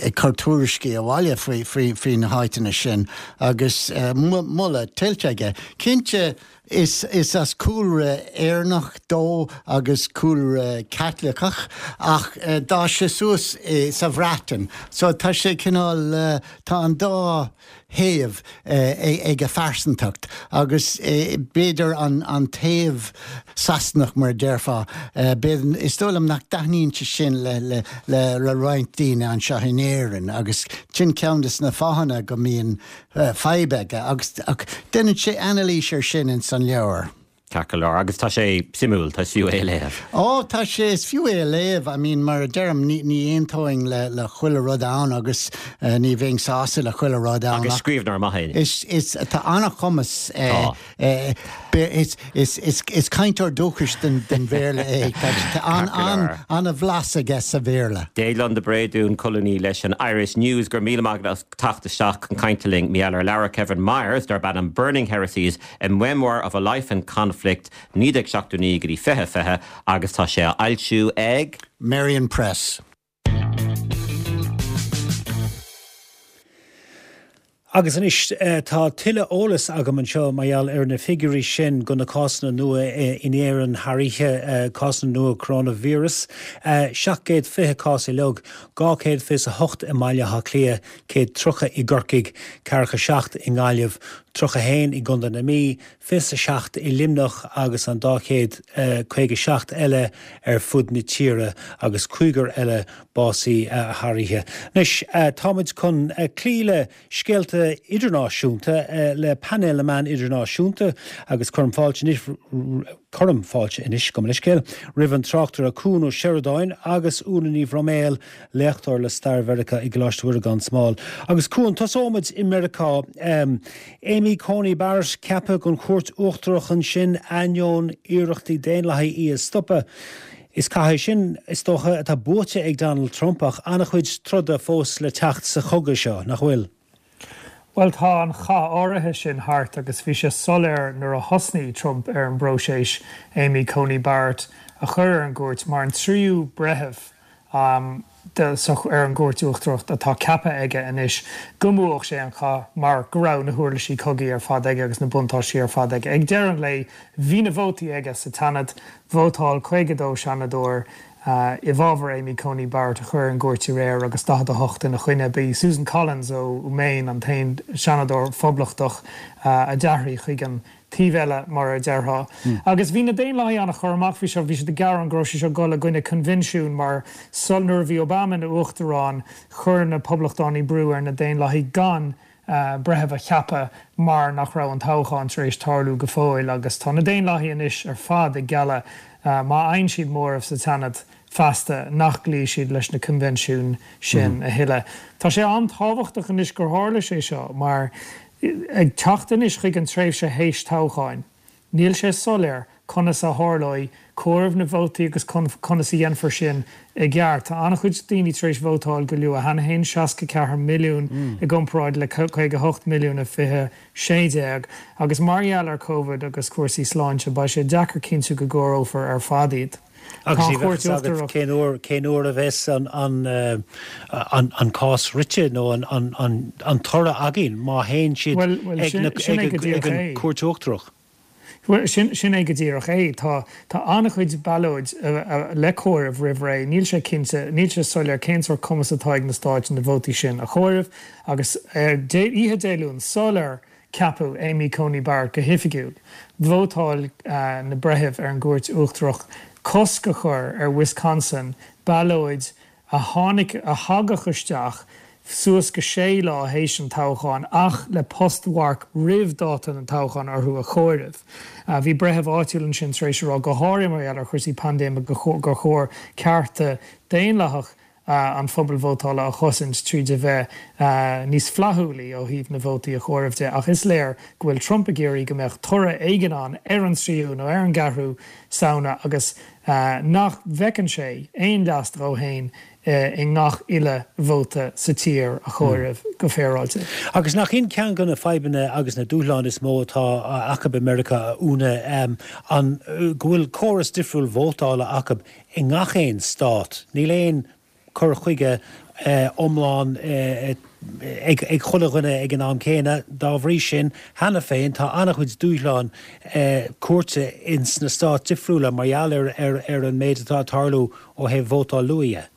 ag cur tuairiscí abhaile faoi faoi faoi na háiteanna sin agus moladh tuillte aige. Cinnte is is as cúlra Éireannach dó agus cúlra Caitliceach ach uh, d'fhás sé suas uh, sa Bhreatain. So tá sé cineál uh, tá an dá thaobh uh, ag a phearsantacht agus uh, b'fhéidir an, an taobh Sasanach mar déarfá uh, is dóigh liom nach dtaitníonn sé sin le, le, le, le roinnt daoine anseo in Éirinn agus sin ceann de na fáthanna go mbíonn uh, fadhb aige agus ach déanann sé anailís ar sin in san leabhar. Ceart go leor agus tá sé suimiúil tá fiú é léamh. Ó tá sé is fiú é léamh, I mean mar a deirim ní ní aontóinn le le chuile rud ann agus uh, ní bheinn sásta le chuile rud ann. Agus scríbhneoir maith é. Is is tá an-chumas uh, uh, is is is is cainteoir dúchais den den Bhéarla é Tá an an an-bhlas aige sa Bhéarla. Déaglán de Bréadún colúnaí leis an Irish News gur míle maith as teacht isteach chun cainte linn mar gheall ar leabhar Kevin Myers darb ainm Burning Heresies a memoir of a life in conflict naoi déag seachtó naoi go dtí fiche fiche agus tá sé á fhoilsiú ag Merrion Press. Agus anois tá tuilleadh eolas agam anseo mar gheall ar na figiúirí sin go na cásanna nua in Éirinn thar oíche cásanna nua coronavirus. Seacht gcéad fiche cás uilig, dhá chéad fiche a hocht i mBaile Átha Cliath, céad tríocha i gCorcaigh, ceathracha seacht i nGaillimh, tríocha haon i gContae na Mí, fiche a seacht i Luimneach agus an dá chéad caoga seacht eile ar fud na tíre agus cúigear eile básaithe thar oíche. Anois táimid chun cloí le scéalta idirnáisiúnta le painéal na meán idirnáisiúnta agus cuirim fáilte anois cuirim fáilte anois gabh mo leithscéal roimh an tráchtaire Cuan Ó Seireadáin agus Úna Ní Bhroiméil léachtóir le stair Mheiriceá i gColáiste Mhuire gan Smál. Agus Cuan tosóimid i Meiriceá um, Amy Coney Barrett ceaptha don chúirt uachtarach ansin ainneoin iarrachtaí daonlathaí í a stopadh. Is cath é sin is dócha atá buaite ag Donald Trump ach an-chuid troda fós le teacht sa chogadh seo, nach bhfuil? Bhuel tá an chath áirithe sin thart agus bhí sé soiléir nuair a thosnaigh Trump ar an bpróiseas Amy Coney Barrett a chur ar an gcúirt mar an tríú breitheamh um, de, so, ar an gcúirt uachtarach atá ceaptha aige anois go mbuafadh sé an chath mar go raibh na huirlisí cogaidh ar fad aige agus na buntáistí ar fad aige. Ag deireadh an lae bhí na vótaí aige sa tSeanad vótáil caoga dó seanadóir uh, i bhfabhar Amy Coney Barrett a chur ar an gcúirt aréir agus daichead a hocht ina choinne. B'í Susan Collins ó Maine an t-aon seanadóir phoblachtach uh, a d'athraigh chuig an taobh eile mar a déarfá. Mm. Agus bhí na Daonlathaigh an-chur amach faoi seo bhí siad ag gearán go raibh sé seo ag dul i gcoinne coinbhinsiún mar sul nuair a bhí Obama ina uachtarán chuir na poblachtánaigh brú ar na Daonlathaigh gan uh, breitheamh a cheapadh mar nach raibh an toghchán tar éis tarlú go fóill agus tá na Daonlathaigh anois ar fad ag gealladh uh, má fhaigheann siad móramh sa tSeanad feasta nach gcloífidh siad leis na coinbhinsiúin sin a thuilleadh. Tá sé an-tábhachtach anois gur tharla sé seo mar ag teacht anois chuig an tréimhse théis toghcháin. Níl sé soiléir conas a tharlóidh comhaireamh na vótaí agus conas a dhéanfar sin i gceart. Tá an-chuid daoine tar éis vótáil go luath cheana féin, seasca ceathair milliún i gcomparáid le caoga hocht milliún i fiche sé déag, agus mar gheall ar Covid agus cúrsaí sláinte beidh sé deacair cinntiú go gcomhaireofar ar fad iad. Agus ní bheadh fhios agat cén uair cén uair a bheas an an an an cás rite nó an an an an toradh againn má théann siad ag ag an Cúirt Uachtarach. Bhuel, sin, sin é go díreach é. Tá, tá an-chuid ballóid le comhaireamh roimh ré. Níl sé cinnte, níl sé soiléir cén sórt cumas atá ag na stáit na vótaí sin a chomhaireamh. Agus ar Dé, oíche Dé Luain, sular ceapadh Amy Coney Barrett go hoifigiúil, vótáil na breithimh ar an gCúirt Uachtarach cosc a chur ar Wisconsin ballóid a tháinig, a thagadh isteach suas go sé lá théis an toghcháin ach le postmharc roimh dáta an toghcháin orthu a chomhaireamh. Bhí breitheamh áitiúil ansin tar éis a rá, go háirithe mar gheall ar chúrsaí paindéime, gur chóir cearta daonlathach an phobail vótála a chosaint tríd a bheith níos flaithiúlaí ó thaobh na vótaí a chomhaireamh de. Ach is léir go bhfuil Trump ag iarraidh go mbeadh toradh éigin ann ar an tríú nó ar an gceathrú Samhna agus nach bhfeiceann sé aon leas dó féin i ngach uile vóta sa tír a chomhaireamh go féaráilte. Agus nach in ceann de na fadhbanna agus na dúshláin is mó atá acu i Meiriceá, a Úna, an go bhfuil córas difriúil vótála acu i ngach aon stát? Níl aon cur chuige iomlán ag chuile dhuine ag an am céanna. Dá bhrí sin, cheana féin, tá an-chuid dúshlán cúirte ins na stáit difriúla mar gheall ar ar an méid atá ag tarlú ó thaobh vótáil luath dhe.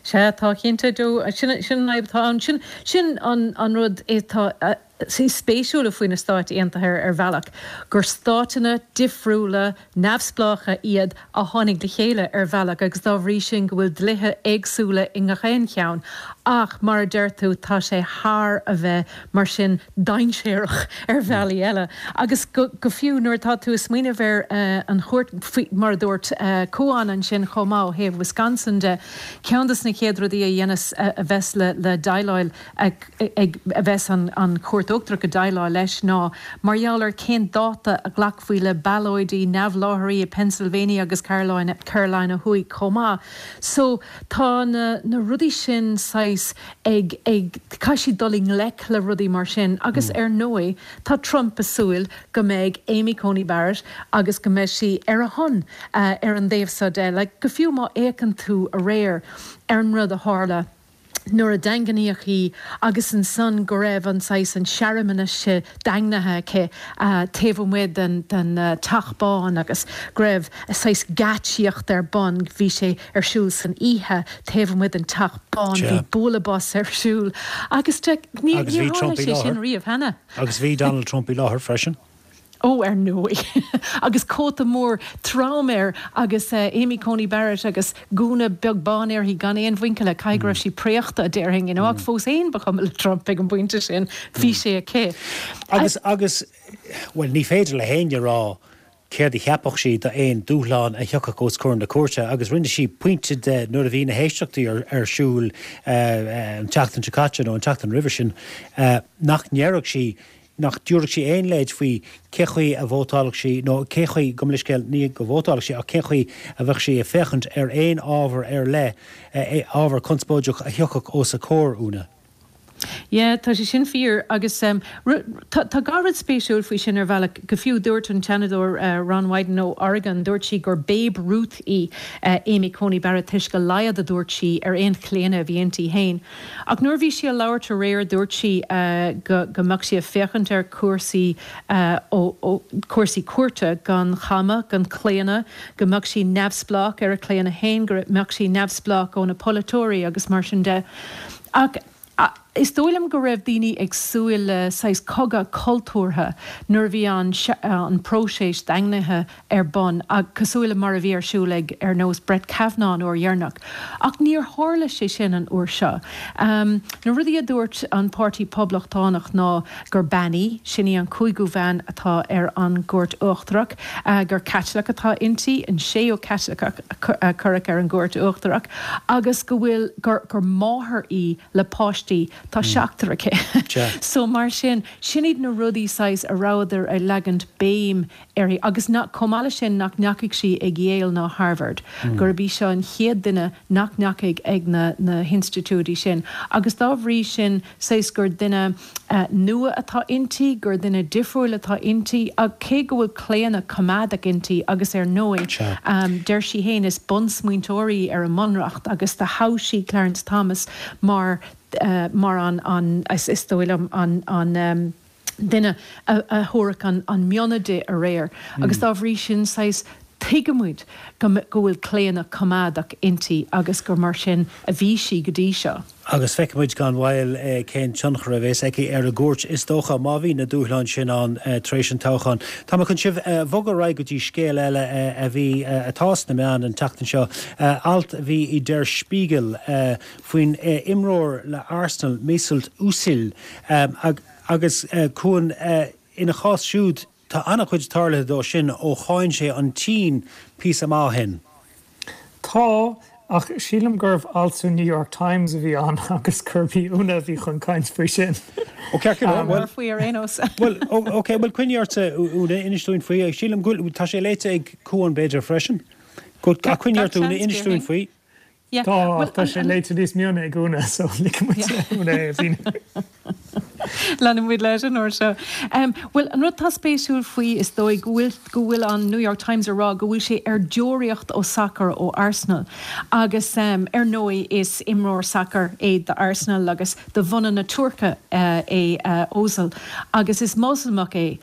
Sea, tá cinnte, Joe. Sin sin an fhadhb atá ann. Sin sin an an rud atá is spéisiúla faoi na Stáit Aontaithe ar bhealach, gur stáiteanna difriúla neamhspleácha iad a tháinig le chéile ar bhealach agus dá bhrí sin go bhfuil dlíthe éagsúla i ngach aon cheann. Ach mar a deir tú, tá sé thar a bheith mar sin dainséarach ar bhealaí eile. Agus go go fiú nuair atá tú ag smaoineamh ar an chúirt, faoi mar a dúirt Cuán ansin chomh maith ó thaobh Wisconsin de, ceann de na chéad rudaí a dhéanas a bheas le le déileáil ag ag a bheas an an Chúirt Uachtarach ag déileáil leis ná mar gheall ar cén dáta a ghlacfaí le ballóidí neamhláithrí i Pennsylvania agus Carolina Carolina Thuaidh chomh maith. So tá na na rudaí sin saghas ag ag caithfidh siad dul i ngleic le rudaí mar sin agus ar ndóigh tá Trump ag súil go mbeidh Amy Coney Barrett agus go mbeidh sí ar a shon ar an dtaobh seo de. Like go fiú má fhéachann tú aréir ar an rud a tharla nuair a daingníodh í agus ansan go raibh an saghas an searmanas seo daingnithe aici taobh amuigh den den Teach Bán agus go raibh saghas geáitsíocht ar bun, bhí sé ar siúl san oíche taobh amuigh den Teach Bán, bhí bualadh bos ar siúl agus ní Agus bhí níor Trump tharla i sé sin láthair. riamh cheana. Agus bhí Donald Trump i láthair freisin. Ó, ar ndóigh. Agus cóta mór trom air agus Amy Coney Barrett agus gúna beag bán uirthi gan aon mhuinchille, caithfidh go raibh sí préachta, déarfainn, you know, ach fós féin ba chuma le Trump ag an bpointe sin, bhí sé aici. Agus, agus, bhuel, ní féidir le héinne a rá céard a cheapfadh sí d'aon dúshlán a thiocfadh os comhair na cúirte agus rinne sí pointe de nuair a bhí na héisteachtaí ar, ar siúl an tseachtain seo caite nó an tseachtain roimhe sin nach ndéarfadh sí nach dtabharfadh sí aon leid faoi cé chaoi a vótálfadh sí nó cé chaoi, gabh mo leithscéal, ní go vótálfadh sí ach cén chaoi a bheadh sí ag féachaint ar aon ábhar ar leith, ábhar conspóideach a thiocfadh os a comhair, Úna. Yeah, tá sé sin fíor agus tá tá dhá rud spéisiúil faoi sin ar bhealach. Go fiú dúirt an Seanadóir Ron Wyden ó Oregon, dúirt sí gur Babe Ruth í Amy Coney Barrett toisc a laghad a dúirt sí ar aon chlaonadh a bhí inti féin. Ach nuair a bhí sí ag labhairt aréir dúirt sí go go mbeadh sí ag féachaint ar chúrsaí ó ó cúrsaí cúirte gan chamadh, gan claonadh, go mbeadh sí neamhspleách ar a claonadh féin, go mbeadh sí neamhspleách ó na polaiteoirí agus mar sin de. Ach is dóigh liom go raibh daoine ag súil le saghas cogadh cultúrtha nuair a bhí an an próiseas daingnithe ar bun, cosúil le mar a bhí ar siúl ag ar nós Brett Kavanaugh an uair dheireanach. Ach níor tharla sé sin an uair seo. Na rudaí a dúirt an Páirtí Poblachtánach ná gur bean í, sin í an cúigiú bhean atá ar an gCúirt Uachtarach, gur Caitliceach atá inti, an séú Caitliceach a cuireadh ar an gCúirt Uachtarach, agus go bhfuil gur gur máthair í le páistí, tá seachtar aici. So mar sin, sin iad na rudaí saghas a rabhadar ag leagaint béim uirthi agus nach, chomh maith leis sin nach ndeachaigh sí ag Yale ná Harvard, gurb í seo an chéad duine nach ndeachaigh ag na na hinstitiúidí sin agus dá bhrí sin saghas gur duine nua atá inti, gur duine difriúil atá inti ach cé go bhfuil claonadh coimeádach inti agus ar ndóigh deir sí féin is bunsmaointeoir í ar an mBunreacht agus do thogh sí Clarence Thomas mar mar an an is dóigh liom an an duine a thabharfadh an mionna di aréir agus dá bhrí sin saghas tuigimid go bhfuil claonadh coimeádach inti agus gur mar sin a bhí sí go dtí seo. Agus feicfimid gan mhoill cén tionchar a bheas aici ar an gcúirt, is dócha, má bhí na dúshláin sin ann tar éis an toghcháin. Tá mé chun sibh a bhogadh ar aghaidh go dtí scéal eile a bhí, atá sna meáin an tseachtain seo, alt a bhí i Der Spiegel faoin imreoir le Arsenal, Mesut Özil, agus Cuan, ina chás siúd, tá an-chuid tarlaithe dó sin ó cháin sé an tSín píosa maith ó shin. Tá, ach sílim gurbh alt sa New York Times a bhí ann agus gurb í Úna a bhí chun caint faoi sin. Ó ceart go leor, bhuel. Faoi ar aon nós. Bhuel, ok, bhuel coinnigh ortsa Úna, inis dúinn faoi. Sílim go bhfuil, tá sé léite ag Cuan b'fhéidir freisin. Ach coinnigh ort Úna, inis dúinn faoi. Tá, ach tá sé léite níos mione ag Úna, so ligfidh muid le Úna é a mhíniú. Leanfaidh muid leis an uair seo. Bhuel, an rud atá spéisiúil faoi, is dóigh, go bhfuil, go bhfuil an New York Times ag rá go bhfuil sé ar deoraíocht ó sacar ó Arsenal. Agus, ar ndóigh, is imreoir sacair é do Arsenal agus de bhunadh na Tuirce é Ozil. Agus is Moslamach é.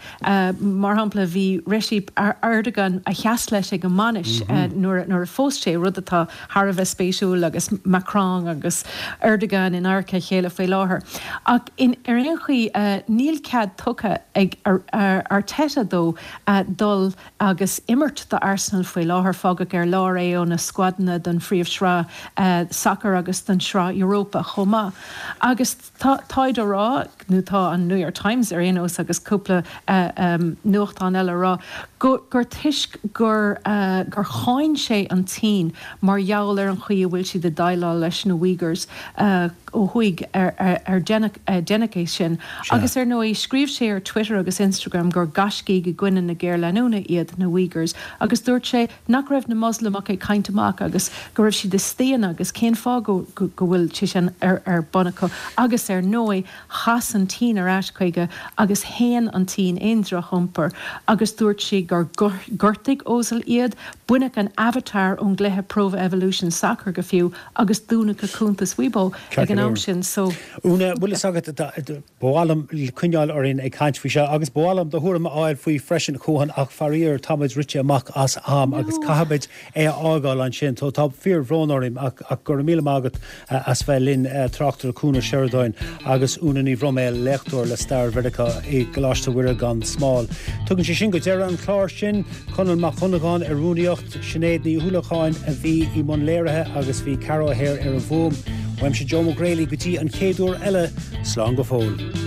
Mar shampla, bhí Recep Erdogan a sheas leis ag an mbainis nuair a phós sé, rud atá thar a bheith spéisiúil agus Macron agus Erdogan in adharca a chéile faoi láthair. Ach ar aon chaoi, níl cead tugtha ag Arteta dó dul agus imirt do Arsenal faoi láthair. Fágadh ar lár é ó na scuadanna don Phríomhshraith Sacair agus don Sraith Europa chomh maith. Agus táid á rá, nó tá an New York Times ar aon nós agus cúpla nuachtán eile á rá, gur toisc gur gur cháin sé an tSín mar gheall ar an chaoi a bhfuil siad ag déileáil leis na Uyghurs ó thuaidh ar deineadh é sin. Agus ar ndóigh scríobh sé ar Twitter agus Instagram gur gaiscígh i gcoinne na géarleanúna iad na Uyghurs agus dúirt sé nach raibh na Moslamaigh ag caint amach agus go raibh siad ag staonadh agus cén fáth go bhfuil sé sin ar bun acu. Agus ar ndóigh chas an tSín ar ais chuige agus shéan an tSín aon droch-iompar agus dúirt sí gur ghortaigh Ozil iad, baineadh an avatar ón gcluiche Pro Evolution Soccer go fiú agus dúnadh a cuntas Weibo ag an am sin so. Úna, bhfuil fhios agat, ba mhaith liom coinneáil orainn ag caint faoi seo agus ba mhaith liom do thuairim a fháil faoi freisin, a Chuan, ach faraor táimid rite amach as am agus caithfimid é a fhágáil ansin. So tá fíorbhrón orm ach ach go raibh míle maith agat as bheith linn, tráchtaire Cuan Ó Seireadáin agus Úna Ní Bhroiméil, léachtóir le Stair Mheiriceá i gColáiste Mhuire gan Smál. Tugann sé sin go deireadh an chláir sin. Conall Mac Dhonnagáin ar rúnaíocht, Sinéad Ní Uallacháin a bhí i mbun léirithe agus bhí Ceara O'Hare ar an bhfuaim. Uaimse Joe Mac Greally go dtí an chéad uair eile, slán go fóill.